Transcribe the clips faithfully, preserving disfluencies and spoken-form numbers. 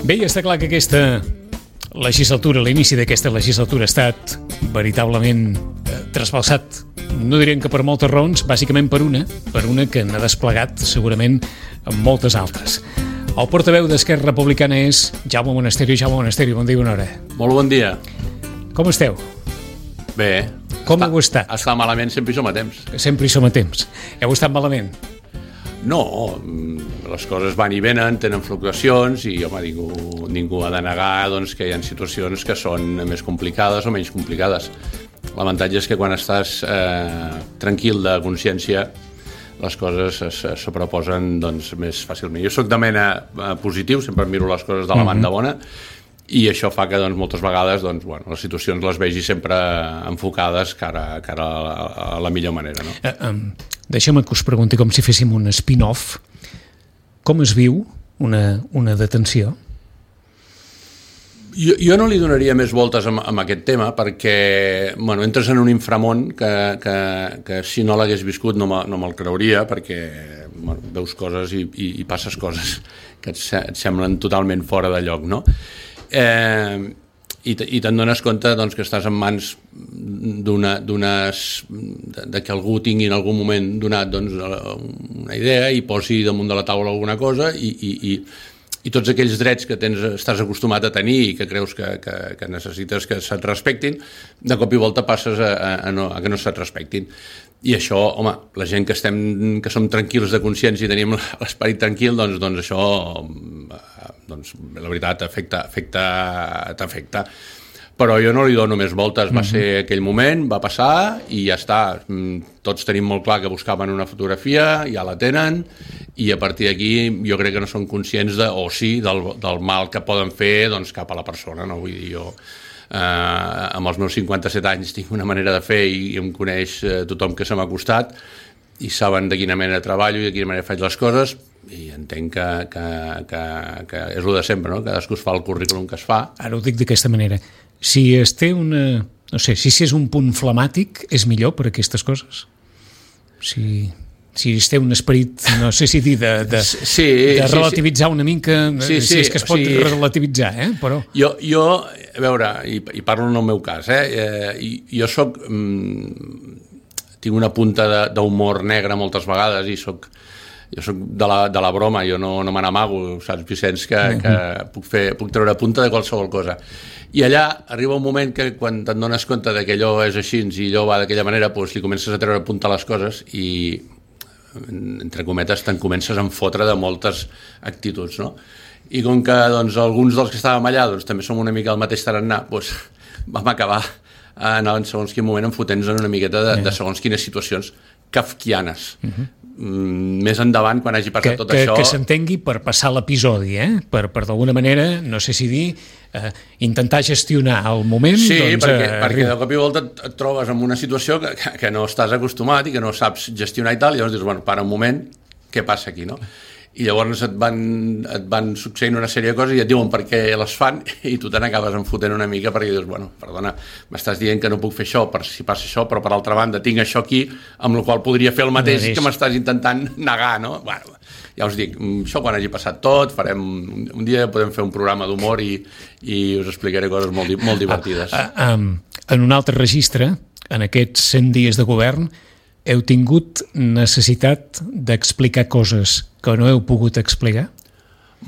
Bé, ja està clar que aquesta legislatura, l'inici d'aquesta legislatura ha estat veritablement eh, trasbalsat. No direm que per moltes raons, bàsicament per una, per una que n'ha desplegat segurament amb moltes altres. El portaveu d'Esquerra Republicana és Jaume Monasterio. Jaume Monasterio, bon dia i bona hora. Molt bon dia. Com esteu? Bé. Com heu estat? Estar malament sempre hi som a temps. Sempre hi som a temps. Heu estat malament? No, les coses van i venen, tenen fluctuacions i, home, ningú, ningú ha de negar doncs, que hi ha situacions que són més complicades o menys complicades. L'avantatge és que quan estàs eh, tranquil de consciència les coses es, es sobreposen doncs, més fàcilment. Jo soc de mena eh, positiu, sempre miro les coses de la banda bona i això fa que doncs, moltes vegades doncs, bueno, les situacions les vegi sempre enfocades cara, cara a, la, a la millor manera. No? Uh, um, deixa'm que us pregunti com si féssim un spin-off. Com es viu una, una detenció? Jo, jo no li donaria més voltes amb, amb aquest tema perquè bueno, entres en un inframón que, que, que si no l'hagués viscut no, me, no me'l creuria perquè bueno, veus coses i, i, i passes coses que et, et semblen totalment fora de lloc, no? Eh, i, i te'n dones compte doncs, que estàs en mans d'una, d'unes, de, de que algú tingui en algun moment donat doncs, una idea i posi damunt de la taula alguna cosa i, i, i i tots aquells drets que tens, estàs acostumat a tenir i que creus que, que, que necessites que se't respectin, de cop i volta passes a, a, a, no, a que no se't respectin. I això, home, la gent que estem, que som tranquils de consciència i tenim l'esperit tranquil, doncs, doncs això, doncs, la veritat, afecta, afecta, t'afecta. Però jo no li dono més voltes, va ser aquell moment, va passar i ja està. Tots tenim molt clar que buscaven una fotografia, ja la tenen, i a partir d'aquí jo crec que no són conscients de, o sí, del, del mal que poden fer doncs, cap a la persona. No? Vull dir, jo eh, amb els meus cinquanta-set anys tinc una manera de fer i, i em coneix eh, tothom que se m'ha costat i saben de quina manera treballo i de quina manera faig les coses i entenc que, que, que, que és el de sempre, no? Cadascú es fa el currículum que es fa. Ara ho dic d'aquesta manera. Si es té una... No sé, si és un punt flemàtic, és millor per aquestes coses? Si, si es té un esperit, no sé si dir, de, de, sí, de relativitzar sí, sí. una mica, sí, sí, si és que es pot sí. relativitzar, eh? Però... Jo, jo, a veure, i, i parlo en el meu cas, eh? eh jo soc... Mm, tinc una punta d'humor negre moltes vegades i soc... Jo soc de la, de la broma, jo no, no me n'amago, saps, Vicenç, que, uh-huh. que puc, fer, puc treure punta de qualsevol cosa. I allà arriba un moment que quan te'n dones compte de que allò és així i allò va d'aquella manera, doncs li comences a treure punta a les coses i, entre cometes, te'n comences a enfotre de moltes actituds, no? I com que doncs, alguns dels que estàvem allà doncs, també som una mica el mateix tarannà, doncs vam acabar en segons quin moment enfotent-nos en una miqueta de, de segons quines situacions kafkianes. Uh-huh. Més endavant, quan hagi passat que, tot que, això... Que s'entengui per passar l'episodi, eh? Per, per d'alguna manera, no sé si dir, eh, intentar gestionar el moment... Sí, doncs, perquè, eh, perquè de cop i volta et, et trobes en una situació que, que, que no estàs acostumat i que no saps gestionar i tal, i llavors dius, bueno, para un moment, què passa aquí, no? I llavors et van, et van succeint una sèrie de coses i et diuen per què les fan i tu te n'acabes enfotent una mica perquè dius, bueno, perdona, m'estàs dient que no puc fer això per si passa això, però per altra banda tinc això aquí, amb la qual podria fer el mateix que m'estàs intentant negar, no? Bueno, ja us dic, això quan hagi passat tot, farem, un dia podem fer un programa d'humor i, i us explicaré coses molt, molt divertides. Ah, ah, um, en un altre registre, en aquests cent dies de govern, heu tingut necessitat d'explicar coses que no heu pogut explicar?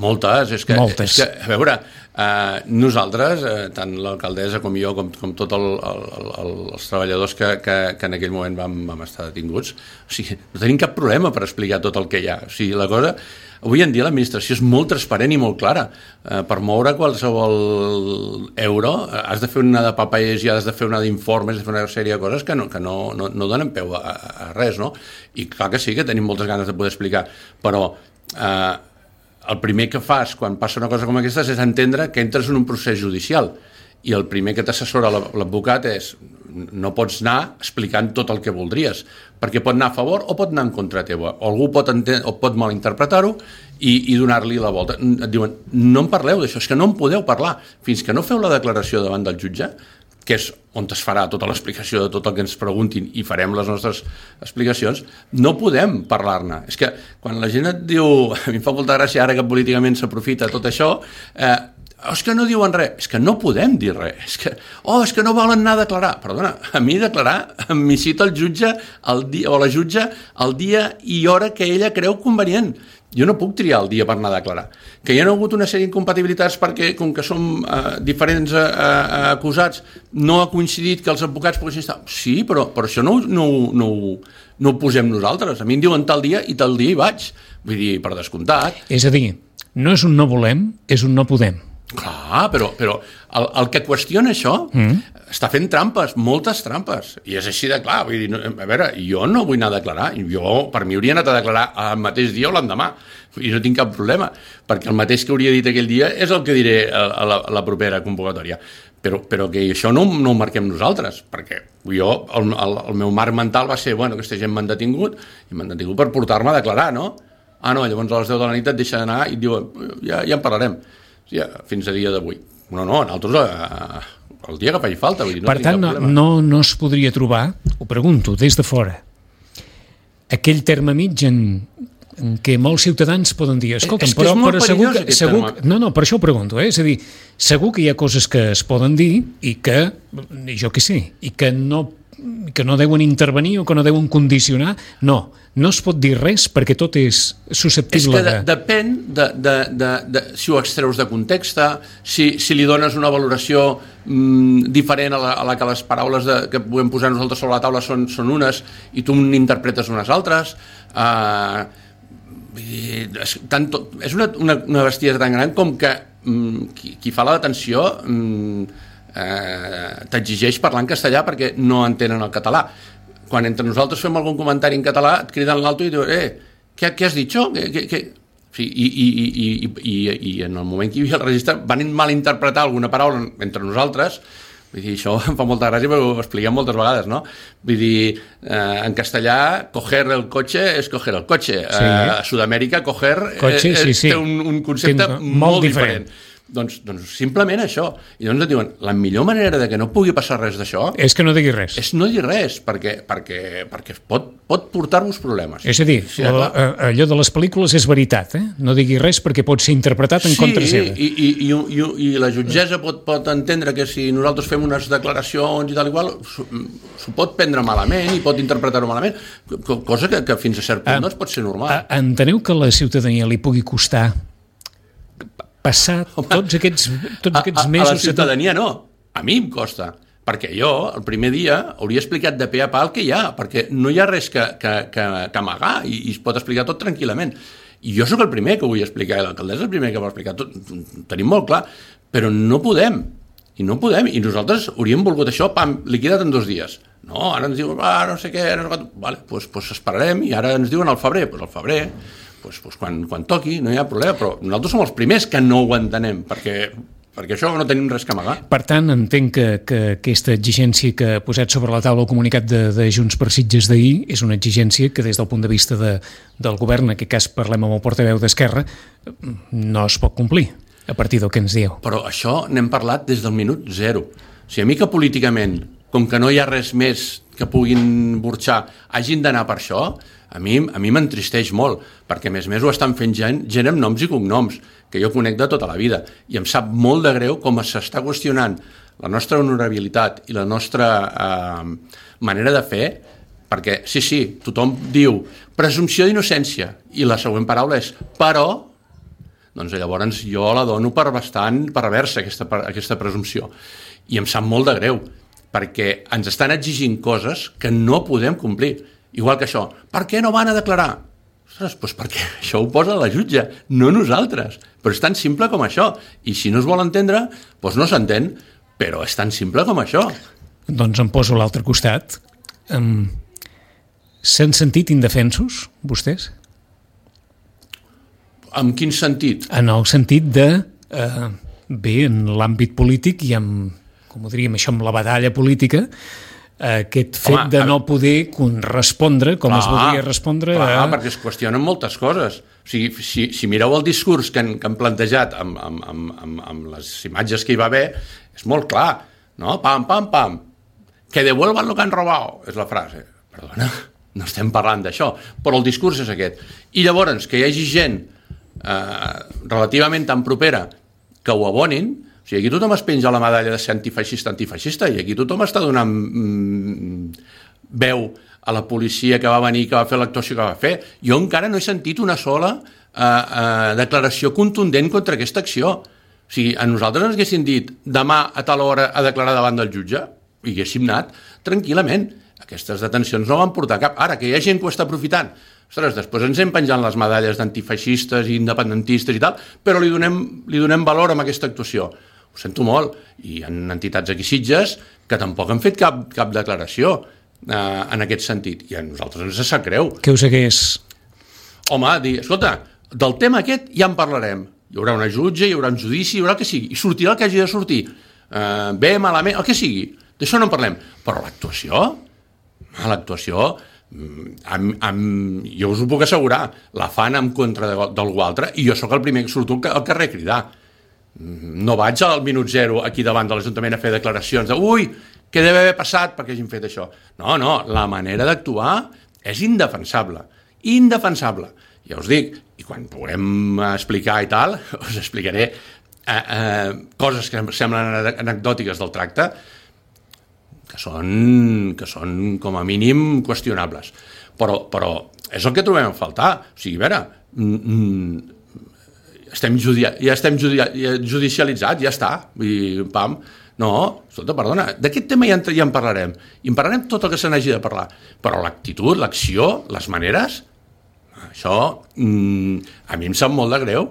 Moltes, és que, Moltes. És que a veure, eh, nosaltres, eh, tant l'alcaldessa com jo, com, com tots el, el, el, els treballadors que, que, que en aquell moment vam, vam estar detinguts, o sigui, no tenim cap problema per explicar tot el que hi ha. O sigui, la cosa... Avui en dia l'administració és molt transparent i molt clara. Eh, per moure qualsevol euro has de fer una de papers i has de fer una d'informes, has de fer una sèrie de coses que no, que no, no, no donen peu a, a res, no? I clar que sí que tenim moltes ganes de poder explicar, però eh, el primer que fas quan passa una cosa com aquesta és entendre que entres en un procés judicial i el primer que t'assessora l'advocat és no pots anar explicant tot el que voldries, perquè pot anar a favor o pot anar en contra teva, o algú pot, enten- o pot malinterpretar-ho i, i donar-li la volta. Et diuen, no en parleu d'això, és que no en podeu parlar. Fins que no feu la declaració davant del jutge, que és on es farà tota l'explicació de tot el que ens preguntin i farem les nostres explicacions, no podem parlar-ne. És que quan la gent et diu, a mi em fa molta gràcia ara que políticament s'aprofita tot això, eh, oh, és que no diuen res, és que no podem dir res, és que, oh, és que no volen anar a declarar. Perdona, a mi declarar m'hi cita el jutge el dia, o la jutge el dia i hora que ella creu convenient. Jo no puc triar el dia per anar a declarar. Que hi ha hagut una sèrie d'incompatibilitats perquè, com que som eh, diferents eh, eh, acusats, no ha coincidit que els advocats poguessin estar... Sí, però, però això no, no, no, no ho posem nosaltres. A mi em diuen tal dia i tal dia hi vaig. Vull dir, per descomptat. És a dir, no és un no volem, és un no podem. Clar, però, però el, el que qüestiona això mm. està fent trampes, moltes trampes, i és així de clar. Vull dir, no, a veure, jo no vull anar a declarar, jo per mi hauria anat a declarar el mateix dia o l'endemà, i no tinc cap problema, perquè el mateix que hauria dit aquell dia és el que diré a, a, la, a la propera convocatòria. Però, però que això no, no ho marquem nosaltres, perquè jo, el, el, el meu marc mental va ser, bueno, aquesta gent m'han detingut, i m'han detingut per portar-me a declarar, no? Ah, no, llavors a les deu de la nit et deixa d'anar i et diuen, ja, ja en parlarem. Ja, fins a dia d'avui. No, no, nosaltres eh, el dia que faci falta. Vull dir, no per tant, no, no, no es podria trobar, ho pregunto, des de fora, aquell terme mig en, en què molts ciutadans poden dir, escolta'm, però, però segur que... Segur, no, no, per això ho pregunto, eh? És a dir, segur que hi ha coses que es poden dir i que, jo què sé, i que no, que no deuen intervenir o que no deuen condicionar. No, no es pot dir res perquè tot és susceptible de... És que de, depèn de, de, de, de si ho extreus de context, si, si li dones una valoració mm, diferent a la, a la que les paraules de, que podem posar nosaltres sobre la taula són, són unes i tu n'interpretes unes altres. Uh, és, tant, és una, una, una bestiesa tan gran com que mm, qui, qui fa la detenció mm, eh, t'exigeix parlar en castellà perquè no entenen el català. Quan entre nosaltres fem algun comentari en català, et criden l'alto i diuen, eh, què, què has dit, això? Què, què, què? Sí, i, i, i, i, i, i en el moment que hi havia el registre van malinterpretar alguna paraula entre nosaltres. Vull dir, això em fa molta gràcia perquè ho expliquem moltes vegades, no? Vull dir, eh, en castellà, coger el cotxe és coger el cotxe. Sí. Eh, a Sud-amèrica, coger cotxe, eh, sí, sí. té un, un concepte molt, molt diferent. diferent. Doncs, doncs simplement això. I doncs et diuen, la millor manera de que no pugui passar res d'això... És que no digui res. És no dir res, perquè, perquè, perquè pot, pot portar-vos problemes. És a dir, sí, la, allò de les pel·lícules és veritat, eh? No digui res perquè pot ser interpretat en sí, contra seva. Sí, i, i, i, i la jutgessa pot, pot entendre que si nosaltres fem unes declaracions i tal i qual, s'ho pot prendre malament i pot interpretar-ho malament, cosa que, que fins a cert punt ah, no es pot ser normal. Ah, enteneu que a la ciutadania li pugui costar passar tots aquests, tots aquests a, a, mesos... A la ciutadania no, a mi em costa, perquè jo el primer dia hauria explicat de pe a pa el que hi ha, perquè no hi ha res que, que, que, que amagar i, i es pot explicar tot tranquil·lament. I jo sóc el primer que ho vull explicar, i l'alcaldessa és el primer que ho va explicar, tot, tenim molt clar, però no podem, i no podem, i nosaltres hauríem volgut això, pam, liquidat en dos dies. No, ara ens diuen, ah, no sé què, no sé què, vale, doncs, doncs esperarem, i ara ens diuen al febrer, doncs al febrer, Pues, pues quan, quan toqui, no hi ha problema, però nosaltres som els primers que no ho entenem, perquè, perquè això no tenim res que amagar. Per tant, entenc que, que aquesta exigència que ha posat sobre la taula el comunicat de, de Junts per Sitges d'ahir és una exigència que des del punt de vista de, del govern, en aquest cas parlem amb el portaveu d'Esquerra, no es pot complir a partir del que ens dieu. Però això n'hem parlat des del minut zero. O sigui, a mi que políticament, com que no hi ha res més que puguin burxar, hagin d'anar per això, a mi a mi m'entristeix molt, perquè a més a més ho estan fent gent, gent amb noms i cognoms, que jo conec de tota la vida, i em sap molt de greu com s'està qüestionant la nostra honorabilitat i la nostra eh, manera de fer, perquè sí, sí, tothom diu presumpció d'innocència, i la següent paraula és però, doncs llavors jo la dono per bastant perversa aquesta, aquesta presumpció, i em sap molt de greu, perquè ens estan exigint coses que no podem complir. Igual que això, per què no van a declarar? Ostres, doncs perquè això ho posa la jutge, no nosaltres. Però és tan simple com això. I si no es vol entendre, doncs no s'entén, però és tan simple com això. Doncs em poso a l'altre costat. Um, S'han sentit indefensos, vostès? En quin sentit? En el sentit de, eh, bé, en l'àmbit polític i amb, com ho diríem, això amb la batalla política, aquest fet Home, de no poder respondre com clar, es voldria respondre clar, a... perquè es qüestionen moltes coses. O sigui, si, si mireu el discurs que han, que han plantejat amb, amb, amb, amb, amb les imatges que hi va haver, és molt clar. no? Pam, pam, pam. Que devuelvan lo que han robado, és la frase. Perdona, no estem parlant d'això, però el discurs és aquest. I llavors, que hi hagi gent eh, relativament tan propera que ho abonin, o sigui, aquí tothom es penja la medalla de ser antifeixista, antifeixista, i aquí tothom està donant mm, veu a la policia que va venir, que va fer l'actuació que va fer. Jo encara no he sentit una sola eh, eh, declaració contundent contra aquesta acció. O sigui, a nosaltres ens haguessin dit demà a tal hora a declarar davant del jutge, i haguéssim anat tranquil·lament. Aquestes detencions no van portar cap. Ara, que hi ha gent que ho està aprofitant, ostres, després ens hem penjant les medalles d'antifeixistes i independentistes i tal, però li donem, li donem valor a aquesta actuació. Ho sento molt. I hi ha entitats aquí Sitges que tampoc han fet cap, cap declaració eh, en aquest sentit. I a nosaltres ens sap greu. Què us hagués... Home, dir, escolta, del tema aquest ja en parlarem. Hi haurà una jutge, hi haurà un judici, hi haurà el que sigui. I sortirà el que hagi de sortir. Eh, bé, malament, el que sigui. D'això no en parlem. Però l'actuació, l'actuació, amb, amb, jo us ho puc assegurar, la fan en contra d'algú altre, i jo sóc el primer que surto al carrer a cridar. No vaig al minut zero aquí davant de l'Ajuntament a fer declaracions de ui, què deve haver passat perquè hagin fet això. No, no, la manera d'actuar és indefensable. Indefensable. Ja us dic, i quan puguem explicar i tal, us explicaré eh, eh, coses que semblen anecdòtiques del tracte, que són, que són com a mínim qüestionables. Però, però és el que trobem a faltar. O sigui, a veure, estem judia, ja estem judia, judicialitzats, ja està. I, pam. No, escolta, perdona, d'aquest tema ja en, ja en parlarem. I en parlarem tot el que se n'hagi de parlar. Però l'actitud, l'acció, les maneres, això a mi em sap molt de greu.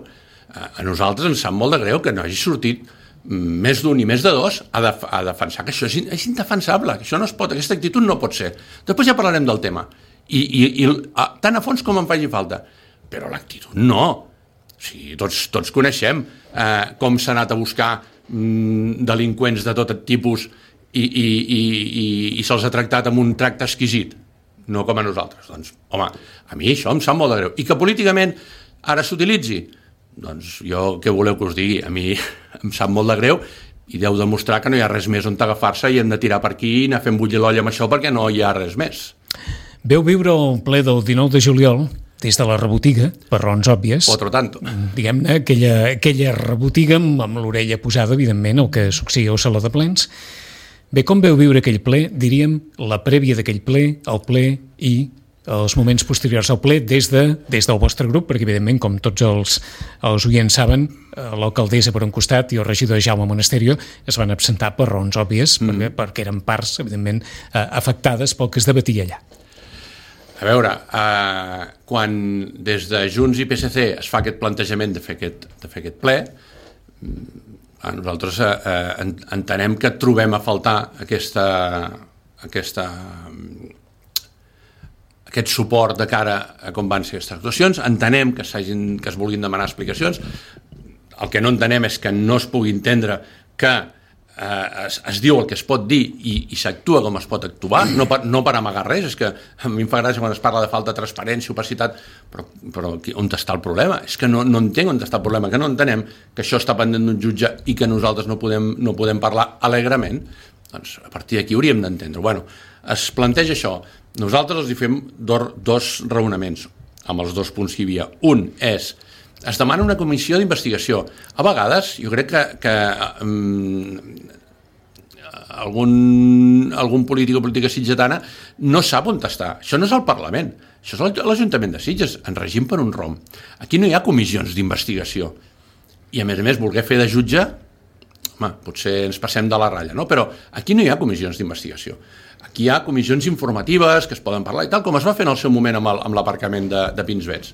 A nosaltres ens sap molt de greu que no hagi sortit més d'un i més de dos a, def a defensar que això és, és indefensable, que això no es pot, aquesta actitud no pot ser. Després ja parlarem del tema, i, i, i a, tant a fons com em faci falta, però l'actitud no. O sigui, tots, tots coneixem eh, com s'ha anat a buscar mm, delinqüents de tot tipus i, i, i, i, i se'ls ha tractat amb un tracte exquisit, no com a nosaltres. Doncs, home, a mi això em sap molt de greu. I que políticament ara s'utilitzi, doncs jo què voleu que us digui? A mi em sap molt de greu i deu demostrar que no hi ha res més on agafar-se i hem de tirar per aquí i anar fent bullir l'olla amb això perquè no hi ha res més. Veu viure el ple del dinou de juliol des de la rebotiga, per raons òbvies. Otro tanto. Diguem-ne, aquella, aquella rebotiga amb, amb l'orella posada, evidentment, el que succeïa al Saló de Plens. Bé, com veu viure aquell ple? Diríem la prèvia d'aquell ple, el ple i els moments posteriors al ple des, de, des del vostre grup, perquè evidentment, com tots els, els oients saben, l'alcaldessa per un costat i el regidor Jaume Monasterio es van absentar per raons òbvies, mm. perquè, perquè eren parts, evidentment, afectades pel que es debatia allà. A veure, eh, quan des de Junts i P S C es fa aquest plantejament de fer aquest, de fer aquest ple, a nosaltres eh, entenem que trobem a faltar aquesta, aquesta, aquest suport de cara a com van ser aquestes actuacions. Entenem que, que es vulguin demanar explicacions. El que no entenem és que no es pugui entendre que eh, es, es diu el que es pot dir i, i s'actua com es pot actuar, no per, no per amagar res. És que a mi em fa gràcia quan es parla de falta de transparència, opacitat, però, però on està el problema? És que no, no entenc on està el problema, que no entenem que això està pendent d'un jutge i que nosaltres no podem, no podem parlar alegrement. Doncs a partir d'aquí hauríem d'entendre. Bueno, es planteja això. Nosaltres els hi fem dos, dos raonaments amb els dos punts que hi havia. Un és, es demana una comissió d'investigació. A vegades, jo crec que, que um, algun, algun polític o política sitgetana no sap on està. Això no és el Parlament, això és l'Ajuntament de Sitges, en règim per un rom. Aquí no hi ha comissions d'investigació. I a més a més, voler fer de jutge, home, potser ens passem de la ratlla, no? Però aquí no hi ha comissions d'investigació. Aquí hi ha comissions informatives que es poden parlar i tal, com es va fer en el seu moment amb, el, amb l'aparcament de, de Pinsbets.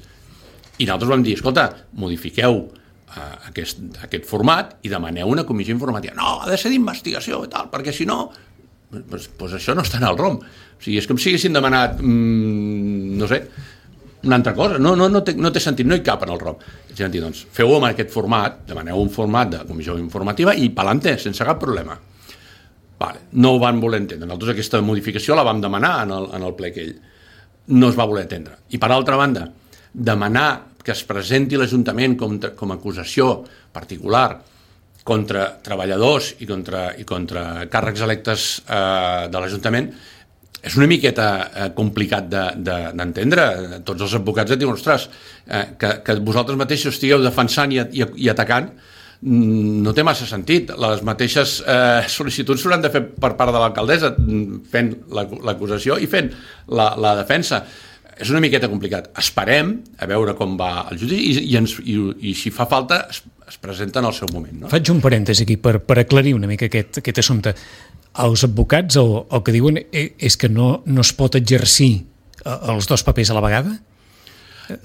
I nosaltres vam dir, escolta, modifiqueu uh, aquest, aquest format i demaneu una comissió informativa. No, ha de ser d'investigació i tal, perquè si no, pues, pues això no està en el rom. O sigui, és com si haguessin demanat, mmm, no sé, una altra cosa. No, no, no, té, no té sentit, no hi cap en el rom. És a dir, doncs, feu-ho amb aquest format, demaneu un format de comissió informativa i pa'lante, sense cap problema. Vale, no ho van voler entendre. Nosaltres aquesta modificació la vam demanar en el, en el ple aquell. No es va voler entendre. I per altra banda, demanar que es presenti l'Ajuntament com, com a acusació particular contra treballadors i contra, i contra càrrecs electes eh, de l'Ajuntament és una miqueta eh, complicat d'entendre. De, de, Tots els advocats et diuen, ostres, eh, que, que vosaltres mateixos estigueu defensant i, i, i atacant no té massa sentit. Les mateixes eh, sol·licituds s'hauran de fer per part de l'alcaldessa fent l'acusació i fent la, la defensa. És una miqueta complicat. Esperem a veure com va el judici i, i, ens, i, i si fa falta es, es presenta en el seu moment. No? Faig un parèntesi aquí per, per aclarir una mica aquest, aquest assumpte. Els advocats el, el que diuen és que no, no es pot exercir els dos papers a la vegada?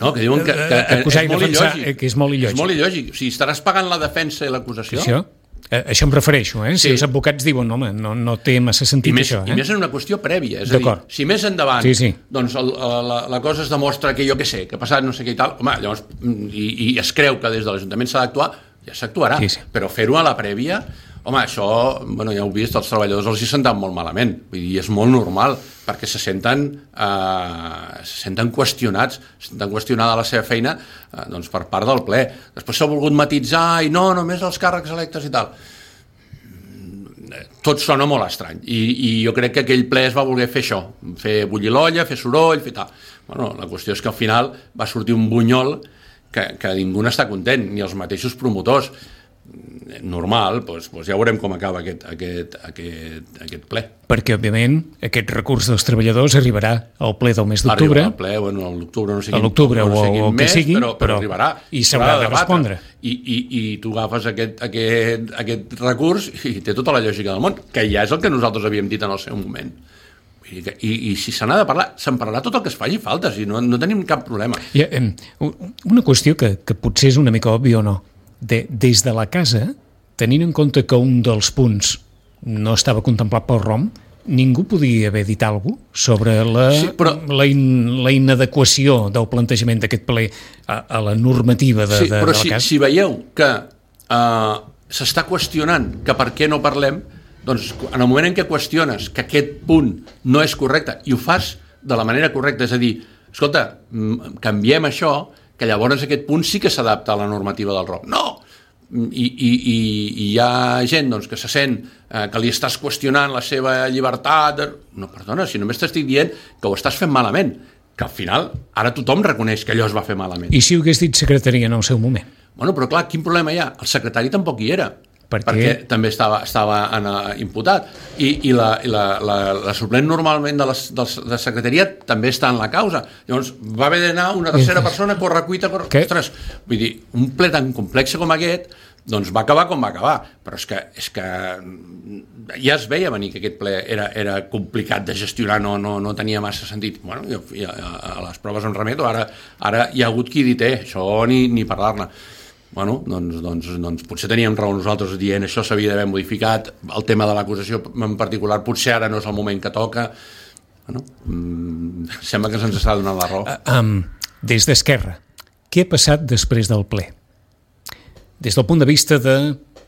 No, que diuen que, que, que, Acusar és, molt defensar, il·lògic. que és molt il·lògic. És molt il·lògic. O sigui, estaràs pagant la defensa i l'acusació? Això? A això em refereixo, eh? Si sí. els advocats diuen, home, no, no té massa sentit I més, això. Eh? I més en una qüestió prèvia. És a dir, si més endavant sí, sí. doncs el, la, la cosa es demostra que jo què sé, que ha passat no sé què i tal, home, llavors, i, i es creu que des de l'Ajuntament s'ha d'actuar, ja s'actuarà. Sí, sí. Però fer-ho a la prèvia, home, això, bueno, ja heu vist, els treballadors els hi senten molt malament. Vull dir, és molt normal, perquè se senten, eh, se senten qüestionats, se senten qüestionada la seva feina eh, doncs per part del ple. Després s'ha volgut matitzar i no, només els càrrecs electes i tal. Tot sona molt estrany i, i jo crec que aquell ple es va voler fer això, fer bullir l'olla, fer soroll, fer tal. Bueno, la qüestió és que al final va sortir un bunyol que, que ningú n'està content, ni els mateixos promotors. Normal, doncs, doncs ja veurem com acaba aquest, aquest, aquest, aquest ple. Perquè, òbviament, aquest recurs dels treballadors arribarà al ple del mes d'octubre. Arribarà al ple, bueno, a l'octubre no sé quin, a l'octubre no sé o, o que mes, sigui, però, però arribarà. I s'haurà de respondre. I, i, i tu agafes aquest, aquest, aquest recurs i té tota la lògica del món, que ja és el que nosaltres havíem dit en el seu moment. I, i, i si se n'ha de parlar, se'n parlarà tot el que es faci falta, si no, no tenim cap problema. I, eh, una qüestió que, que potser és una mica òbvia o no. De, des de la casa, tenint en compte que un dels punts no estava contemplat pel R O M, ningú podia haver dit alguna cosa sobre la, sí, però... la, in, la inadequació del plantejament d'aquest ple a, a la normativa de, sí, de, però de la si, casa. Si veieu que uh, s'està qüestionant que per què no parlem, doncs en el moment en què qüestiones que aquest punt no és correcte i ho fas de la manera correcta, és a dir, escolta, canviem això, que llavors aquest punt sí que s'adapta a la normativa del R O M. No! I, i, i, i hi ha gent doncs, que se sent eh, que li estàs qüestionant la seva llibertat. No, perdona, si només t'estic dient que ho estàs fent malament, que al final ara tothom reconeix que allò es va fer malament. I si ho hagués dit secretaria en el seu moment? Bueno, però clar, quin problema hi ha? El secretari tampoc hi era. Per perquè també estava, estava en, uh, imputat i, i, la, i la, la, la suplent normalment de la, de la secretaria també està en la causa. Llavors va haver d'anar una tercera persona a correcuita, corre... ostres, vull dir, un ple tan complex com aquest doncs va acabar com va acabar, però és que, és que ja es veia venir que aquest ple era, era complicat de gestionar, no, no, no tenia massa sentit. Bueno, jo, ja, a les proves em remeto, ara, ara hi ha hagut qui dit, eh, això ni, ni parlar-ne. Bueno, doncs, doncs, doncs potser teníem raó nosaltres dient això s'havia d'haver modificat, el tema de l'acusació en particular potser ara no és el moment que toca. Bueno, mmm, sembla que se'ns està donant la raó. Uh, um, des d'Esquerra, què ha passat després del ple? Des del punt de vista de,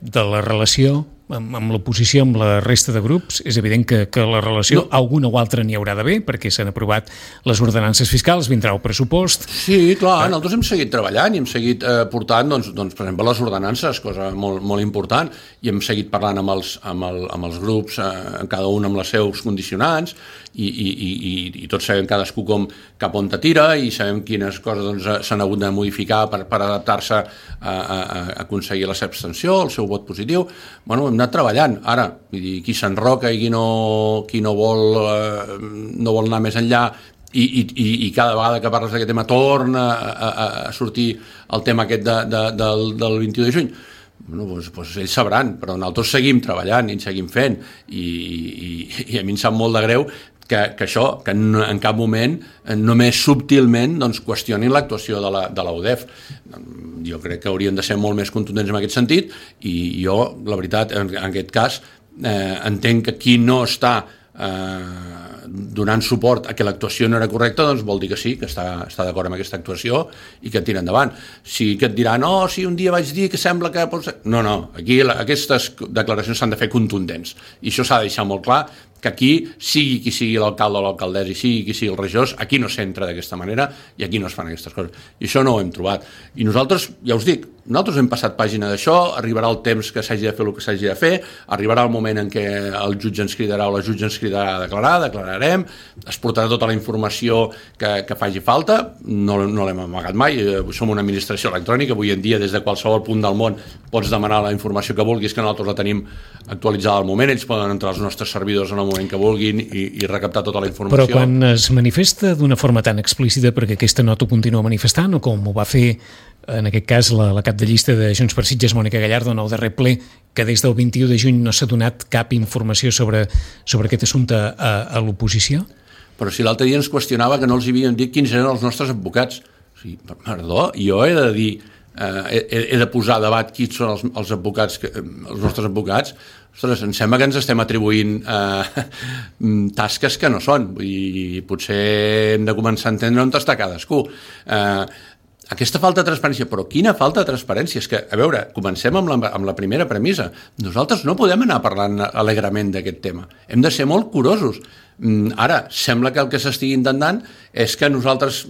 de la relació amb, amb l'oposició, amb la resta de grups, és evident que, que la relació, no. alguna o altra n'hi haurà d'haver, perquè s'han aprovat les ordenances fiscals, vindrà el pressupost. Sí, clar, eh? Nosaltres hem seguit treballant i hem seguit eh, portant, doncs, doncs, per exemple, les ordenances, cosa molt, molt important, i hem seguit parlant amb els, amb el, amb els grups, eh, cada un amb els seus condicionants, i, i, i, i tots sabem cadascú com, cap on te tira, i sabem quines coses doncs, s'han hagut de modificar per, per adaptar-se a, a, a aconseguir la seva abstenció, el seu vot positiu. Bueno, hem anat treballant. Ara, vull dir, qui s'enroca i qui no, qui no, vol, eh, no vol anar més enllà i, i, i cada vegada que parles d'aquest tema torna a, a, a sortir el tema aquest de, de, del, del vint-i-u de juny. Bueno, doncs, doncs ells sabran, però nosaltres seguim treballant i en seguim fent i, i, i a mi em sap molt de greu que, que això, que no, en cap moment només subtilment doncs, qüestionin l'actuació de la, de la U D E F. Jo crec que haurien de ser molt més contundents en aquest sentit i jo, la veritat, en, en aquest cas eh, entenc que qui no està eh, donant suport a que l'actuació no era correcta, doncs vol dir que sí, que està, està d'acord amb aquesta actuació i que tira endavant. Si que et dirà, no, si un dia vaig dir que sembla que... No, no, aquí la, aquestes declaracions s'han de fer contundents i això s'ha de deixar molt clar que aquí, sigui qui sigui l'alcalde o l'alcaldessa i sigui qui sigui el regidor, aquí no s'entra d'aquesta manera i aquí no es fan aquestes coses. I això no ho hem trobat. I nosaltres, ja us dic, nosaltres hem passat pàgina d'això, arribarà el temps que s'hagi de fer el que s'hagi de fer, arribarà el moment en què el jutge ens cridarà o la jutge ens cridarà a declarar, declararem, es portarà tota la informació que, que faci falta, no, no l'hem amagat mai, som una administració electrònica, avui en dia des de qualsevol punt del món pots demanar la informació que vulguis, que nosaltres la tenim actualitzada al moment, ells poden entrar als nostres servidors en el moment que vulguin i, i recaptar tota la informació. Però quan es manifesta d'una forma tan explícita, perquè aquesta nota ho continua manifestant, o com ho va fer en aquest cas la, la cap de llista de Junts per Sitges, Mònica Gallardo, en el darrer ple, que des del vint-i-u de juny no s'ha donat cap informació sobre, sobre aquest assumpte a, a l'oposició? Però si l'altre dia ens qüestionava que no els havíem dit quins eren els nostres advocats. O sigui, perdó, jo he de dir, eh, he, he de posar a debat quins són els, els advocats, que, els nostres advocats. Ostres, em sembla que ens estem atribuint eh, tasques que no són, i potser hem de començar a entendre on està cadascú. Eh, Aquesta falta de transparència, però quina falta de transparència? És que, a veure, comencem amb la, amb la primera premissa. Nosaltres no podem anar parlant alegrement d'aquest tema. Hem de ser molt curosos. Ara, sembla que el que s'estigui intentant és que nosaltres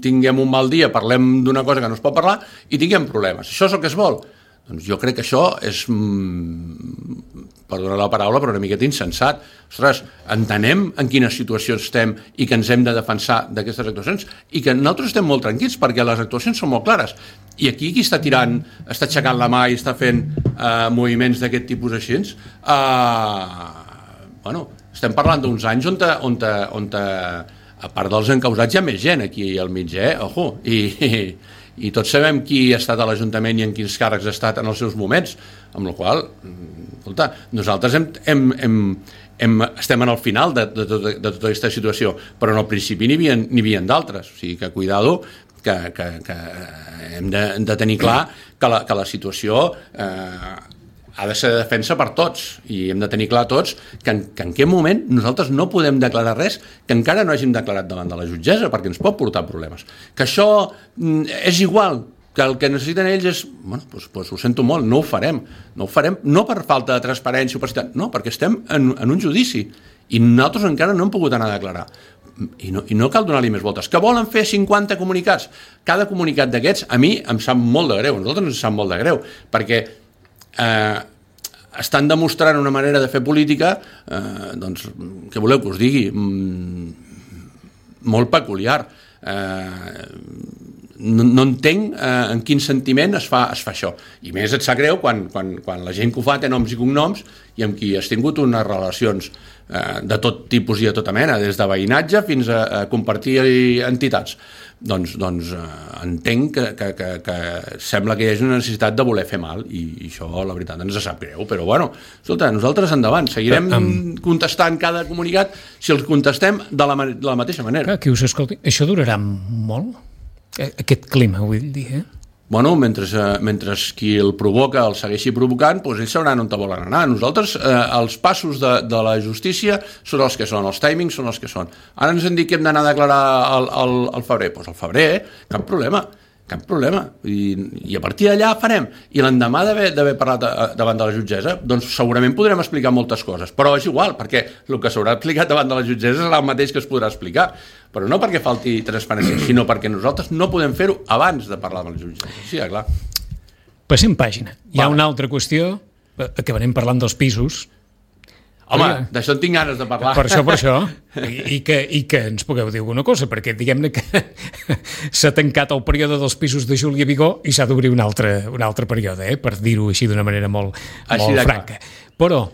tinguem un mal dia, parlem d'una cosa que no es pot parlar i tinguem problemes. Això és el que es vol? Doncs jo crec que això és, perdonar la paraula, però una miqueta insensat. Ostres, entenem en quina situació estem i que ens hem de defensar d'aquestes actuacions i que nosaltres estem molt tranquils perquè les actuacions són molt clares. I aquí qui està tirant, està aixecant la mà i està fent eh, moviments d'aquest tipus així, eh, bueno, estem parlant d'uns anys on, te, on, te, on te, a part dels encausats hi ha més gent aquí al mig, eh? Ojo, i... i i tots sabem qui ha estat a l'Ajuntament i en quins càrrecs ha estat en els seus moments, amb la qual escolta, nosaltres hem, hem, hem, hem, estem en el final de, de, de, de tota aquesta situació, però en el principi n'hi havia, n'hi havia d'altres, o sigui que cuidado, que, que, que hem de, de tenir clar que la, que la situació eh, ha de ser de defensa per tots i hem de tenir clar tots que en, que en aquest moment nosaltres no podem declarar res que encara no hàgim declarat davant de la jutgessa perquè ens pot portar problemes. Que això és igual, que el que necessiten ells és, bueno, doncs, doncs ho sento molt, no ho farem, no ho farem, no per falta de transparència o opacitat, no, perquè estem en, en un judici i nosaltres encara no hem pogut anar a declarar. I no, i no cal donar-li més voltes. Que volen fer cinquanta comunicats? Cada comunicat d'aquests a mi em sap molt de greu, a nosaltres ens sap molt de greu, perquè Eh, estan demostrant una manera de fer política eh, doncs, què voleu que us digui, mm, molt peculiar. Eh, no, no entenc eh, en quin sentiment es fa, es fa això, i més et sap greu quan, quan, quan la gent que ho fa té noms i cognoms i amb qui has tingut unes relacions eh, de tot tipus i de tota mena, des de veïnatge fins a, a compartir entitats. Doncs, doncs eh, entenc que, que, que, que sembla que hi hagi una necessitat de voler fer mal i, i això la veritat ens sap greu, però bueno, escolta, nosaltres endavant, seguirem um, contestant cada comunicat si els contestem de la, de la mateixa manera. Clar, qui us escolti, això durarà molt? Aquest clima, vull dir, eh? Bueno, mentre, eh, mentre qui el provoca el segueixi provocant, doncs ells sabran on te volen anar. Nosaltres, eh, els passos de, de la justícia són els que són, els timings són els que són. Ara ens han dit que hem d'anar a declarar al, al, al febrer. Doncs al febrer, eh? Cap problema, cap problema. I, i a partir d'allà farem. I l'endemà d'haver parlat a, davant de la jutgessa, doncs segurament podrem explicar moltes coses. Però és igual, perquè el que s'haurà explicat davant de la jutgessa serà el mateix que es podrà explicar. Però no perquè falti transparència, sinó perquè nosaltres no podem fer-ho abans de parlar amb la jutgessa. Sí, clar. Passem pàgina. Hi ha una altra qüestió, acabarem parlant dels pisos. Home, d'això en tinc ganes de parlar. Per això, per això. I, i, que, I que ens pugueu dir alguna cosa, perquè diguem-ne que s'ha tancat el període dels pisos de Júlia Vigó i s'ha d'obrir un altre, un altre període, eh? Per dir-ho així d'una manera molt, molt franca. Però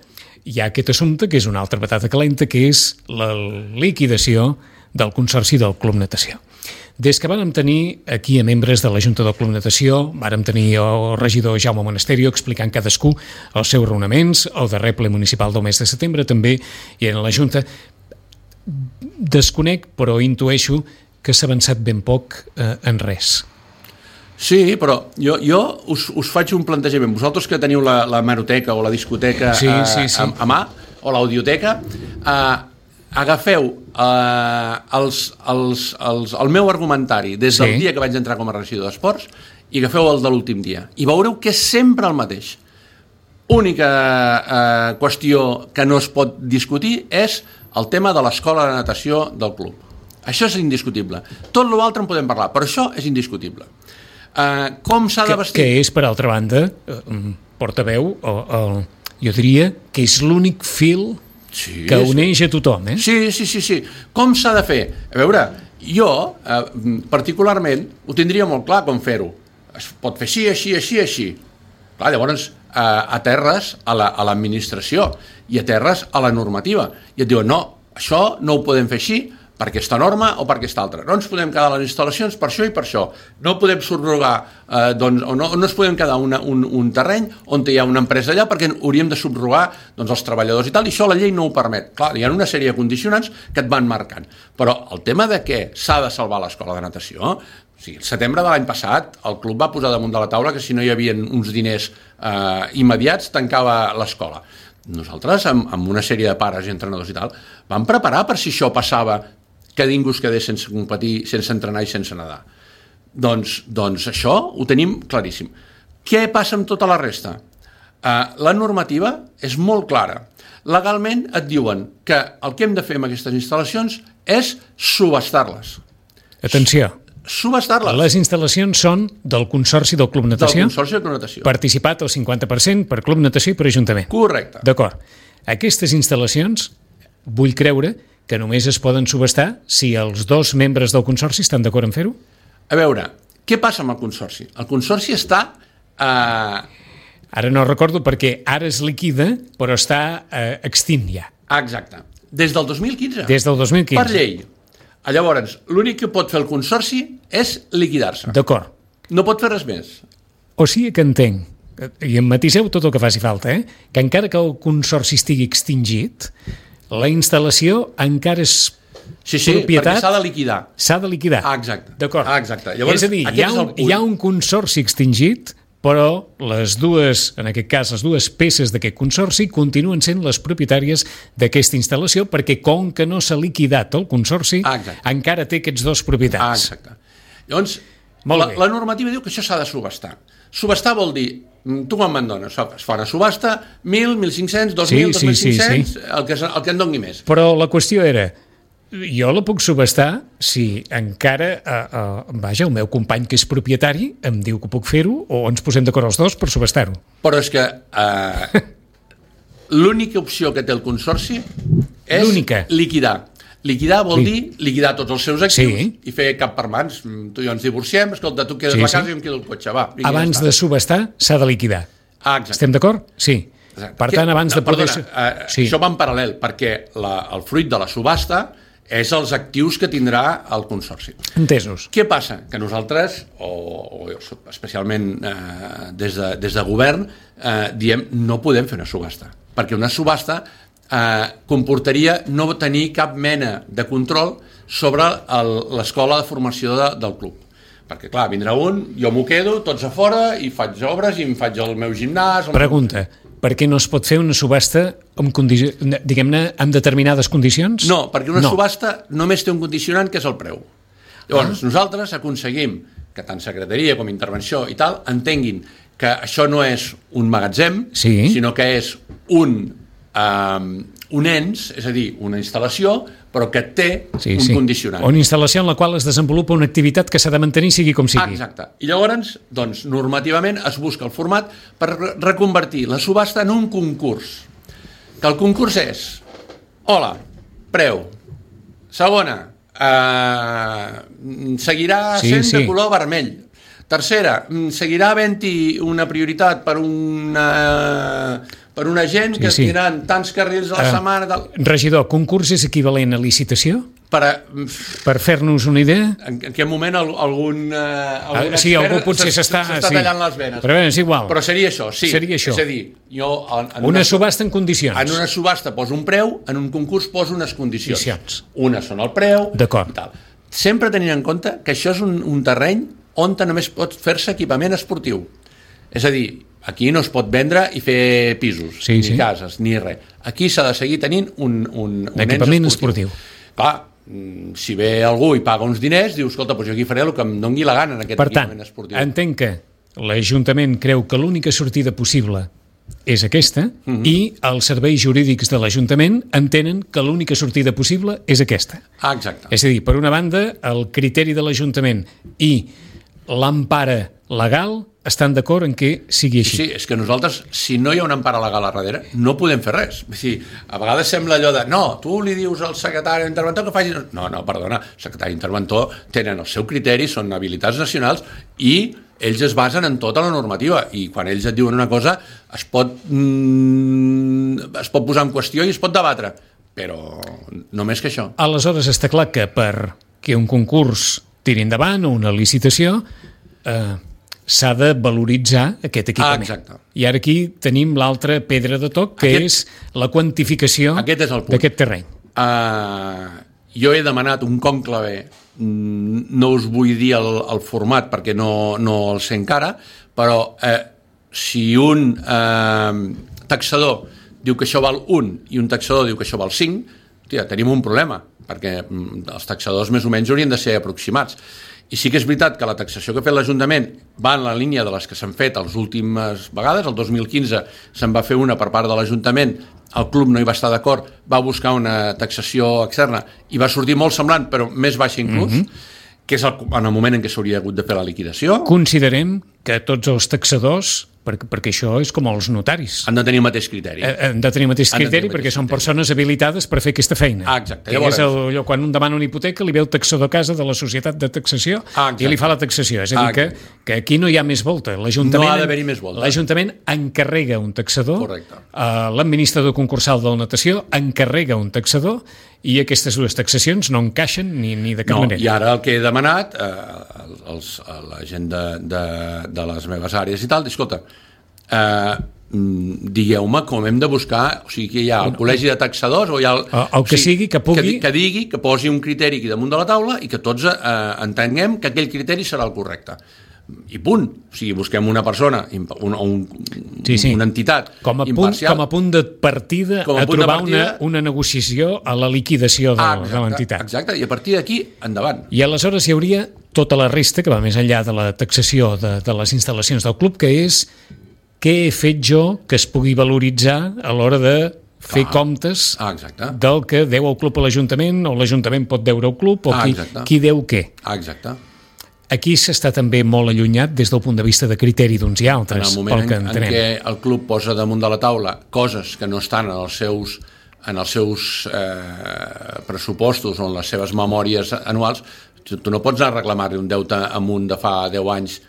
hi ha aquest assumpte que és una altra patata calenta, que és la liquidació del Consorci del Club Natació. Des que vàrem tenir aquí a membres de la Junta del Club Natació, vàrem tenir el regidor Jaume Monasterio explicant cadascú els seus raonaments, el darrer ple municipal del mes de setembre també, i en la Junta desconec, però intueixo que s'ha avançat ben poc eh, en res. Sí, però jo, jo us, us faig un plantejament. Vosaltres que teniu la, la hemeroteca o la discoteca sí, sí, sí. A, a mà, o l'audioteca, eh, agafeu eh, els, els, els, el meu argumentari des del sí. dia que vaig entrar com a regidor d'Esports i agafeu el de l'últim dia i veureu que és sempre el mateix. única eh, qüestió que no es pot discutir és el tema de l'escola de natació del club. Això és indiscutible. Tot l'altre en podem parlar, però això és indiscutible. Uh, com s'ha de vestir? Que, que és, per altra banda, uh, portaveu, o, o, jo diria que és l'únic fil sí, que uneix a tothom. Eh? Sí, sí, sí, sí. Com s'ha de fer? A veure, jo, uh, particularment, ho tindria molt clar com fer-ho. Es pot fer així, així, així, així. Clar, llavors, uh, aterres a l'administració la, i aterres a la normativa. I et diuen, no, això no ho podem fer així, per aquesta norma o per aquesta altra. No ens podem quedar a les instal·lacions per això i per això. No podem subrogar, eh, doncs, o no, no ens podem quedar una, un, un terreny on hi ha una empresa allà perquè hauríem de subrogar doncs, els treballadors i tal, i això la llei no ho permet. Clar, hi ha una sèrie de condicionants que et van marcant. Però el tema de què s'ha de salvar l'escola de natació, o sigui, el setembre de l'any passat el club va posar damunt de la taula que si no hi havia uns diners eh, immediats tancava l'escola. Nosaltres, amb, amb una sèrie de pares i entrenadors i tal, vam preparar per si això passava que ningú es quedés sense competir, sense entrenar i sense nedar. Doncs, doncs això ho tenim claríssim. Què passa amb tota la resta? Uh, la normativa és molt clara. Legalment et diuen que el que hem de fer amb aquestes instal·lacions és subestar-les. Atenció. Subestar-les. Les instal·lacions són del Consorci del Club Natació. Del Consorci del Club Natació. Participat al cinquanta per cent per Club Natació i per Ajuntament. Correcte. D'acord. Aquestes instal·lacions, vull creure que només es poden subestar si els dos membres del Consorci estan d'acord en fer-ho? A veure, què passa amb el Consorci? El Consorci està... Eh... Ara no recordo perquè ara es liquida, però està eh, extint ja. Exacte. Des del dos mil quinze. Des del dos mil quinze. Per llei. Llavors, l'únic que pot fer el Consorci és liquidar-se. D'acord. No pot fer res més. O sigui que entenc, i em matiseu tot el que faci falta, eh? que encara que el Consorci estigui extingit, la instal·lació encara és sí, sí, propietat... perquè s'ha de liquidar. S'ha de liquidar. Ah, exacte. D'acord. Ah, exacte. Llavors, és a dir, hi ha, un, hi ha un consorci extingit, però les dues, en aquest cas, les dues peces d'aquest consorci continuen sent les propietàries d'aquesta instal·lació perquè com que no s'ha liquidat el consorci, ah, encara té aquests dos propietats. Ah, exacte. Llavors, la, la normativa diu que això s'ha de subestar. Subestar vol dir, tu quan me'n dones? Es fa una subhasta, mil, mil cinc-cents, dos mil, dos mil cinc-cents, sí, sí, sí. el, que, el que en doni més. Però la qüestió era, jo la puc subestar si encara, eh, eh, vaja, el meu company que és propietari em diu que puc fer-ho o ens posem d'acord els dos per subestar-ho. Però és que eh, l'única opció que té el Consorci és liquidar. Liquidar vol sí. dir liquidar tots els seus actius sí. i fer cap per mans. Tu i jo ens divorciem, escolta, tu quedes sí, la casa sí. i em quedo el cotxe. Va, abans de subestar s'ha de liquidar. Ah, exacte. Estem d'acord? Sí. Exacte. Per tant, abans no, de poder... Perdona, uh, sí. això va en paral·lel, perquè la, el fruit de la subhasta és els actius que tindrà el Consorci. Entesos. Què passa? Que nosaltres, o, o especialment eh, des, de, des de govern, eh, diem no podem fer una subhasta, perquè una subhasta eh, comportaria no tenir cap mena de control sobre l'escola de formació de, del club. Perquè, clar, vindrà un, jo m'ho quedo, tots a fora, i faig obres, i em faig el meu gimnàs... El Pregunta, meu... per què no es pot fer una subhasta amb, condi... diguem-ne, amb determinades condicions? No, perquè una no. subhasta només té un condicionant, que és el preu. Llavors, ah. nosaltres aconseguim que tant secretaria com intervenció i tal entenguin que això no és un magatzem, sí. sinó que és un, um, un ens, és a dir, una instal·lació, però que té sí, un sí. condicionant. Una instal·lació en la qual es desenvolupa una activitat que s'ha de mantenir sigui com sigui. Exacte. I llavors, doncs, normativament es busca el format per reconvertir la subhasta en un concurs. Que el concurs és, hola, preu, segona, eh, seguirà sí, sent sí. de color vermell. Tercera, seguirà havent-hi una prioritat per una... per una gent que sí, sí. tindran tants carrils a la uh, setmana... Tal. Regidor, concurs és equivalent a licitació? Per, a, per fer-nos una idea? En, en aquest moment algun, uh, algun ah, sí, algú potser s'està sí. tallant les venes. Però bé, és igual. Però seria això, sí. Seria això. És a dir, jo... En, en una, una subhasta en condicions. En una subhasta poso un preu, en un concurs poso unes condicions. Condicions. Una són el preu D'acord. i tal. Sempre tenint en compte que això és un, un terreny on només pot fer-se equipament esportiu. És a dir, aquí no es pot vendre i fer pisos, sí, ni sí. cases, ni res. Aquí s'ha de seguir tenint un, un, un equipament ens esportiu. esportiu. Clar, si ve algú i paga uns diners, dius, escolta, doncs jo aquí faré el que em doni la gana en aquest per tant, equipament esportiu. Per tant, entenc que l'Ajuntament creu que l'única sortida possible és aquesta uh-huh. i els serveis jurídics de l'Ajuntament entenen que l'única sortida possible és aquesta. Ah, exacte. És a dir, per una banda, el criteri de l'Ajuntament i l'empara legal estan d'acord en què sigui així. Sí, és que nosaltres, si no hi ha una empara legal a darrere, no podem fer res. És dir, a vegades sembla allò de, no, tu li dius al secretari interventor que faci... No, no, perdona, el secretari interventor tenen el seu criteri, són habilitats nacionals i ells es basen en tota la normativa i quan ells et diuen una cosa es pot, mm, es pot posar en qüestió i es pot debatre, però només que això. Aleshores està clar que per que un concurs tiri endavant o una licitació eh, s'ha de valoritzar aquest equipament. Ah, exacte. I ara aquí tenim l'altra pedra de toc, que aquest, és la quantificació d'aquest terreny. Uh, jo he demanat un conclave, no us vull dir el, el format perquè no, no el sé encara, però eh, si un eh, taxador diu que això val un i un taxador diu que això val cinc, tia, tenim un problema, perquè els taxadors més o menys haurien de ser aproximats. I sí que és veritat que la taxació que ha fet l'Ajuntament va en la línia de les que s'han fet les últimes vegades. El dos mil quinze se'n va fer una per part de l'Ajuntament, el club no hi va estar d'acord, va buscar una taxació externa i va sortir molt semblant, però més baixa inclús, mm-hmm. que és el, en el moment en què s'hauria hagut de fer la liquidació. Considerem que tots els taxadors, perquè, perquè això és com els notaris, han de tenir el mateix criteri. Han de tenir el mateix criteri tenir perquè mateix són criteri. Persones habilitades per fer aquesta feina. Ah, exacte. Que és el, allò, quan un demana una hipoteca li ve el taxador a casa de la societat de taxació ah, i li fa la taxació. És a dir, ah, que, que aquí no hi ha més volta. L'Ajuntament, no ha d'haver-hi més volta. L'Ajuntament encarrega un taxador, correcte. Uh, l'administrador concursal de la natació encarrega un taxador i aquestes dues taxacions no encaixen ni, ni de cap no, manera. I ara el que he demanat eh, els, a la gent de, de, de les meves àrees i tal, escolta, eh, digueu-me com hem de buscar, o sigui, que hi ha el col·legi de taxadors o hi ha el, el, el que o sigui, sigui que pugui... Que, que digui, que posi un criteri aquí damunt de la taula i que tots eh, entenguem que aquell criteri serà el correcte. I punt. O sigui, busquem una persona, un, un, sí, sí. una entitat com a imparcial. Punt, com a punt de partida a, a trobar partida, una, una negociació a la liquidació de, exacte, de l'entitat. Exacte, i a partir d'aquí, endavant. I aleshores hi hauria tota la resta, que va més enllà de la taxació de, de les instal·lacions del club, que és què he fet jo que es pugui valoritzar a l'hora de fer ah, comptes ah, del que deu el club a l'Ajuntament o l'Ajuntament pot deure al club o ah, qui, qui deu què. Ah, exacte. Aquí s'està també molt allunyat des del punt de vista de criteri d'uns i altres. En el moment pel que en, en què el club posa damunt de la taula coses que no estan en els seus, en els seus eh, pressupostos o en les seves memòries anuals, tu, tu no pots anar a reclamar-li un deute amunt de fa deu anys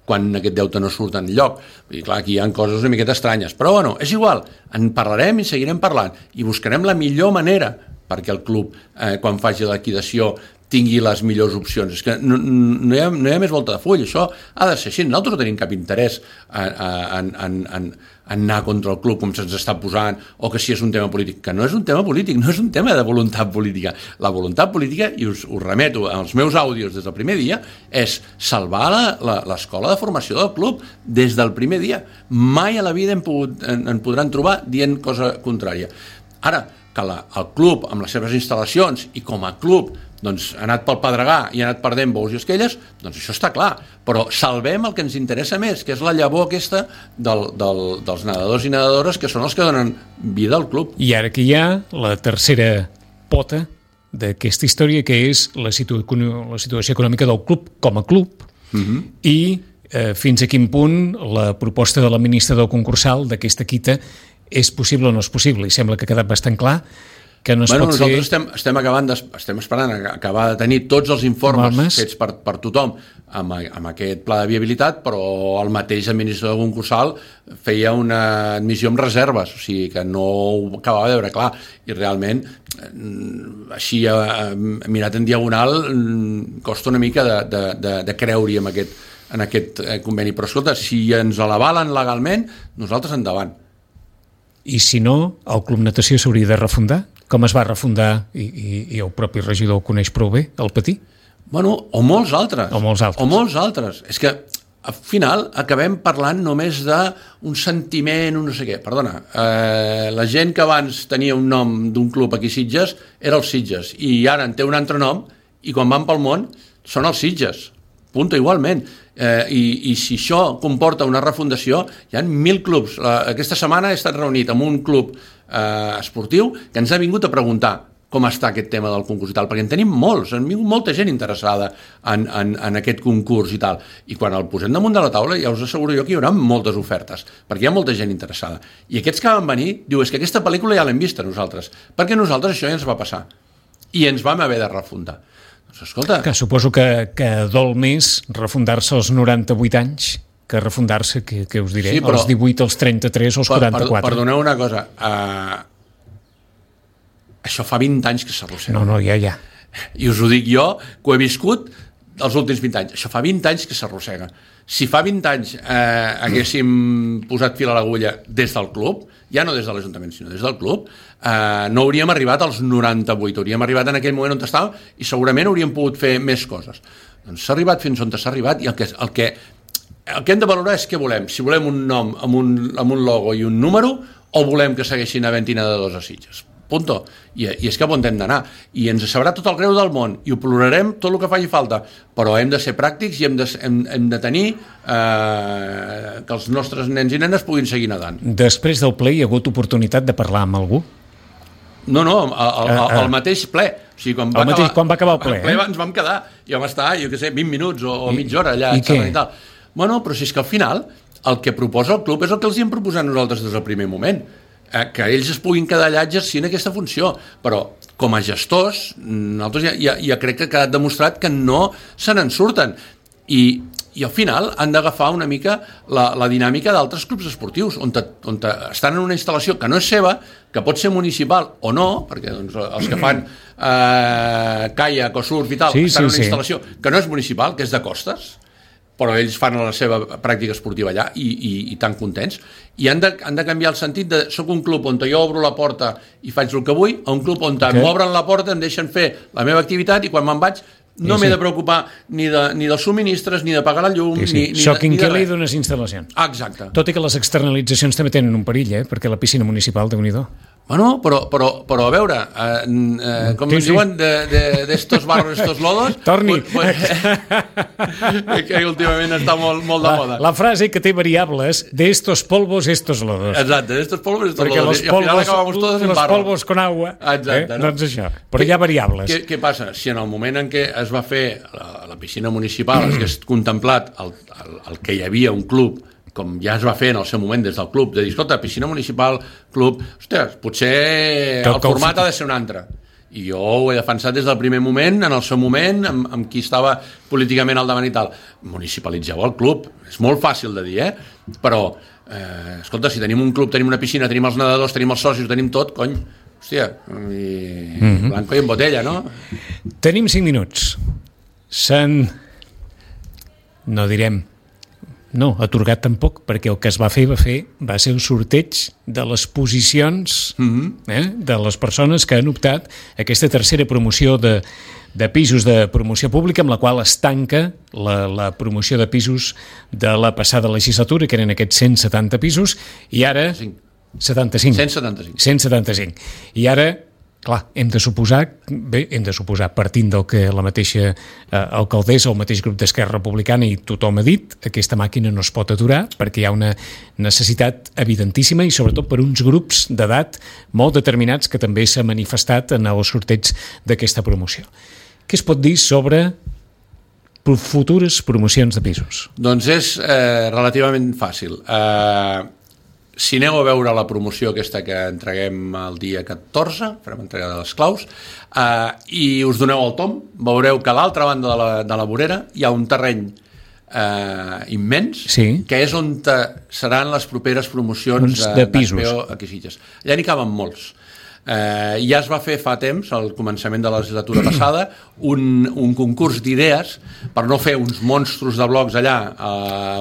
quan aquest deute no surt enlloc. I clar, aquí hi ha coses una miqueta estranyes. Però bueno, és igual, en parlarem i seguirem parlant i buscarem la millor manera perquè el club, eh, quan faci la liquidació, tingui les millors opcions. És que no, no, hi ha, no hi ha més volta de full. Això ha de ser així. Nosaltres no tenim cap interès en, en, en, en, en anar contra el club com se'ns està posant o que si és un tema polític. Que no és un tema polític, no és un tema de voluntat política. La voluntat política, i us, us remeto als meus àudios des del primer dia, és salvar l'escola de formació del club des del primer dia. Mai a la vida en, pogut, en, en podran trobar dient cosa contrària. Ara, que la, el club, amb les seves instal·lacions i com a club, doncs ha anat pel Pedregà i ha anat perdent bous i esquelles, doncs això està clar. Però salvem el que ens interessa més, que és la llavor aquesta del, del, dels nedadors i nedadores, que són els que donen vida al club. I ara que hi ha la tercera pota d'aquesta història, que és la, situ la situació econòmica del club com a club, uh-huh. i eh, fins a quin punt la proposta de l'administrador concursal d'aquesta quita és possible o no és possible. I sembla que ha quedat bastant clar que no es bueno, pot nosaltres fer... estem, estem, acabant de, estem esperant a acabar de tenir tots els informes Malmes. fets per, per tothom amb, amb aquest pla de viabilitat, però el mateix administrador concursal feia una admissió amb reserves, o sigui que no ho acabava de veure clar, i realment així mirat en diagonal costa una mica de, de, de, de creure-hi en aquest, en aquest conveni, però escolta, si ens l'avalen legalment, nosaltres endavant. I si no, el Club Natació s'hauria de refundar? Com es va refundar, i, i, i el propi regidor ho coneix prou bé, el Patí? Bueno, o molts altres. O molts altres. O molts altres. És que, al final, acabem parlant només d'un sentiment, un no sé què. Perdona, eh, la gent que abans tenia un nom d'un club aquí a Sitges era els Sitges, i ara en té un altre nom, i quan van pel món són els Sitges. punto, igualment. Eh, i, I si això comporta una refundació, hi ha mil clubs. La, aquesta setmana he estat reunit amb un club eh, esportiu que ens ha vingut a preguntar com està aquest tema del concurs i tal, perquè en tenim molts, han vingut molta gent interessada en, en, en aquest concurs i tal, i quan el posem damunt de la taula ja us asseguro jo que hi haurà moltes ofertes, perquè hi ha molta gent interessada, i aquests que van venir diu, és que aquesta pel·lícula ja l'hem vista nosaltres, perquè nosaltres això ja ens va passar i ens vam haver de refundar. Doncs escolta... Que suposo que, que dol més refundar-se als noranta-vuit anys que refundar-se, que, que us diré, sí, però, als divuit, als trenta-tres o als per, quaranta-quatre. Per, perdoneu una cosa, uh, això fa vint anys que s'arrossega. No, no, ja, ja. I us ho dic jo, que ho he viscut els últims vint anys. Això fa vint anys que s'arrossega. Si fa vint anys eh, haguéssim posat fil a l'agulla des del club, ja no des de l'Ajuntament, sinó des del club, eh, no hauríem arribat als noranta-vuit, hauríem arribat en aquell moment on estàvem i segurament hauríem pogut fer més coses. Doncs s'ha arribat fins on s'ha arribat i el que, el que, el que hem de valorar és què volem. Si volem un nom amb un, amb un logo i un número o volem que segueixin havent-hi nedadors a Sitges. Punto. I, i és cap on hem d'anar. I ens sabrà tot el greu del món i ho plorarem tot el que faci falta, però hem de ser pràctics i hem de, hem, hem de tenir eh, que els nostres nens i nenes puguin seguir nedant. Després del ple hi ha hagut oportunitat de parlar amb algú? No, no, al, al, al mateix ple. O sigui, quan, va mateix, acabar, quan va acabar el ple? El ple eh? ens vam quedar i vam estar, jo què sé, vint minuts o, o I, mitja hora allà. I què? I tal. Bueno, però si és que al final el que proposa el club és el que els hi hem proposat nosaltres des del primer moment. Que ells es puguin quedar allà exercint aquesta funció, però com a gestors nosaltres ja, ja, ja crec que ha quedat demostrat que no se n'en surten i, i al final han d'agafar una mica la, la dinàmica d'altres clubs esportius on, te, on te estan en una instal·lació que no és seva, que pot ser municipal o no, perquè doncs, els que fan eh, caiac o surf i tal sí, estan sí, en una sí. instal·lació que no és municipal, que és de costes, però ells fan la seva pràctica esportiva allà i, i, i tan contents. I han de, han de canviar el sentit de soc un club on jo obro la porta i faig el que vull, a un club on okay. m'obren la porta, em deixen fer la meva activitat i quan me'n vaig no sí, m'he sí. de preocupar ni, de, ni dels subministres, ni de pagar la llum, sí, sí. ni, ni, Soc de, ni de inquilí res. d'unes instal·lacions. Exacte. Tot i que les externalitzacions també tenen un perill, eh? Perquè la piscina municipal, déu-n'hi-do. Bueno, però, però, però a veure, eh, eh, com sí, ens sí. diuen, d'estos de, de, barros, estos lodos... Torni! Pues, pues, que últimament està molt, molt de la, moda. La frase que té variables, de estos polvos, estos lodos. Exacte, de estos polvos, estos Perquè lodos. Perquè los polvos, todos los en barro. polvos con agua. Exacte, eh? no? Doncs això, però hi ha variables. Què, què passa? Si en el moment en què es va fer la, la piscina municipal, es hagués contemplat el, el, el que hi havia un club com ja es va fer en el seu moment des del club, de dir, escolta, piscina municipal, club, ostres, potser el format ha de ser un altre. I jo ho he defensat des del primer moment, en el seu moment, amb, amb qui estava políticament al davant i tal. Municipalitzeu el club. És molt fàcil de dir, eh? Però, eh, escolta, si tenim un club, tenim una piscina, tenim els nedadors, tenim els socis, tenim tot, cony, hòstia, i... mm-hmm. blanco i en botella, no? Tenim cinc minuts. S'han... No direm... No, atorgat tampoc, perquè el que es va fer va fer va ser el sorteig de les posicions mm-hmm. eh, de les persones que han optat a aquesta tercera promoció de, de pisos de promoció pública, amb la qual es tanca la, la promoció de pisos de la passada legislatura, que eren aquests cent setanta pisos, i ara... setanta-cinc. cent setanta-cinc. cent setanta-cinc. I ara... Clar, hem de suposar, bé, hem de suposar, partint del que la mateixa eh, alcaldessa o el mateix grup d'Esquerra Republicana i tothom ha dit, aquesta màquina no es pot aturar perquè hi ha una necessitat evidentíssima i sobretot per uns grups d'edat molt determinats que també s'ha manifestat en el sorteig d'aquesta promoció. Què es pot dir sobre futures promocions de pisos? Doncs és eh, relativament fàcil. Eh... Si aneu a veure la promoció aquesta que entreguem el dia catorze, farem entrega de les claus, eh, i us doneu el tom, veureu que a l'altra banda de la, de la vorera hi ha un terreny eh, immens, sí. que és on te, seran les properes promocions de, de pisos. Aquí a Sitges. Allà n'hi caben molts. Eh, ja es va fer fa temps, al començament de la legislatura passada, un, un concurs d'idees per no fer uns monstros de blocs allà a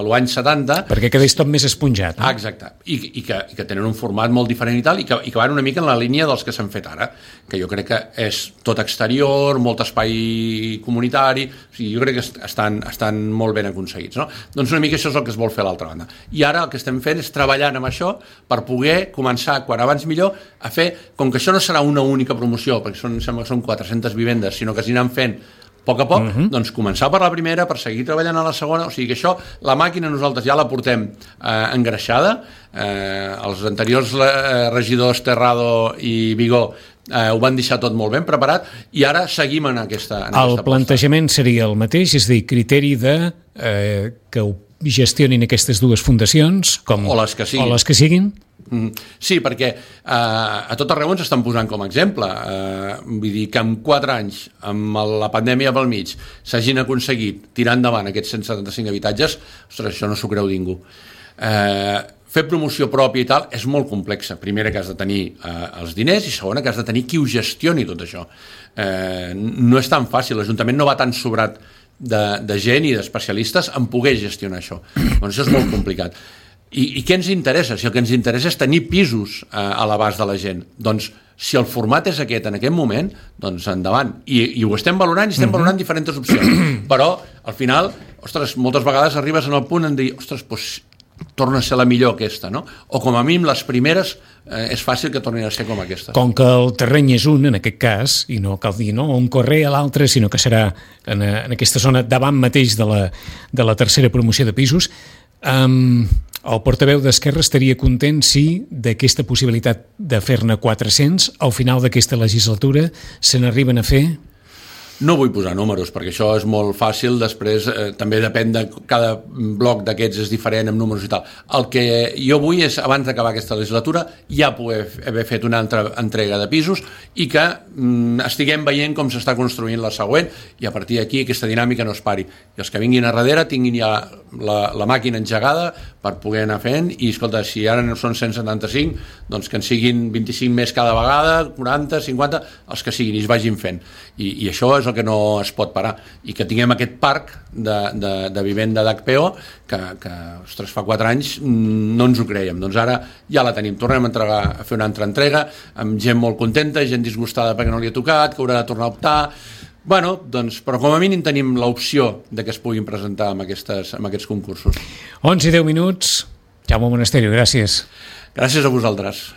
l'any setanta. Perquè quedés tot més esponjat. No? Ah, exacte. I, i, que, I que tenen un format molt diferent i tal, i que, i que van una mica en la línia dels que s'han fet ara, que jo crec que és tot exterior, molt espai comunitari, o sigui, jo crec que estan, estan molt ben aconseguits. No? Doncs una mica això és el que es vol fer a l'altra banda. I ara el que estem fent és treballant amb això per poder començar, quan abans millor, a fer, com que això no serà una única promoció, perquè són, sembla que són quatre-centes vivendes, sinó que s'aniran fent a poc a poc, uh-huh. doncs començar per la primera, per seguir treballant a la segona, o sigui que això, la màquina nosaltres ja la portem eh, engreixada, eh, els anteriors eh, regidors Terrado i Vigó eh, ho van deixar tot molt ben preparat i ara seguim en aquesta en El aquesta plantejament posta. Seria el mateix, és a dir, criteri de eh, que ho gestionin aquestes dues fundacions com, o les que siguin, o les que siguin. Mm, sí, perquè eh, a tot arreu ens estan posant com a exemple. Eh, vull dir que en quatre anys, amb la pandèmia pel mig, s'hagin aconseguit tirar endavant aquests cent setanta-cinc habitatges, ostres, això no s'ho creu ningú. Eh, fer promoció pròpia i tal és molt complexa. Primera, que has de tenir eh, els diners, i segona, que has de tenir qui ho gestioni tot això. Eh, no és tan fàcil, l'Ajuntament no va tan sobrat de, de gent i d'especialistes en poder gestionar això. Doncs això és molt complicat. I, I què ens interessa? Si el que ens interessa és tenir pisos eh, a l'abast de la gent, doncs si el format és aquest en aquest moment, doncs endavant. I, i ho estem valorant i estem uh-huh. valorant diferents opcions. Però, al final, ostres, moltes vegades arribes en el punt en dir, ostres, doncs torna a ser la millor aquesta, no? O com a mínim les primeres eh, és fàcil que tornin a ser com aquesta. Com que el terreny és un, en aquest cas, i no cal dir no, un carrer a l'altre, sinó que serà en, en aquesta zona davant mateix de la, de la tercera promoció de pisos, um, el portaveu d'Esquerra estaria content si d'aquesta possibilitat de fer-ne quatre-cents al final d'aquesta legislatura se n'arriben a fer? No vull posar números, perquè això és molt fàcil, després eh, també depèn de cada bloc d'aquests és diferent amb números i tal. El que jo vull és, abans d'acabar aquesta legislatura, ja poder haver fet una altra entrega de pisos i que mm, estiguem veient com s'està construint la següent i a partir d'aquí aquesta dinàmica no es pari. I els que vinguin a darrere tinguin ja la, la màquina engegada per poder anar fent i, escolta, si ara no són cent setanta-cinc, doncs que en siguin vint-i-cinc més cada vegada, quaranta, cinquanta, els que siguin i es vagin fent. I, i això és el que no es pot parar, i que tinguem aquest parc de, de, de vivenda d'H P O que, que ostres, fa quatre anys no ens ho creiem, doncs ara ja la tenim, tornem a, entregar, a fer una altra entrega amb gent molt contenta, gent disgustada perquè no li ha tocat, que haurà de tornar a optar. Bueno, doncs, però com a mínim tenim l'opció de que es puguin presentar amb, aquestes, amb aquests concursos. onze i deu minuts. Jaume Monasterio, gràcies. Gràcies a vosaltres.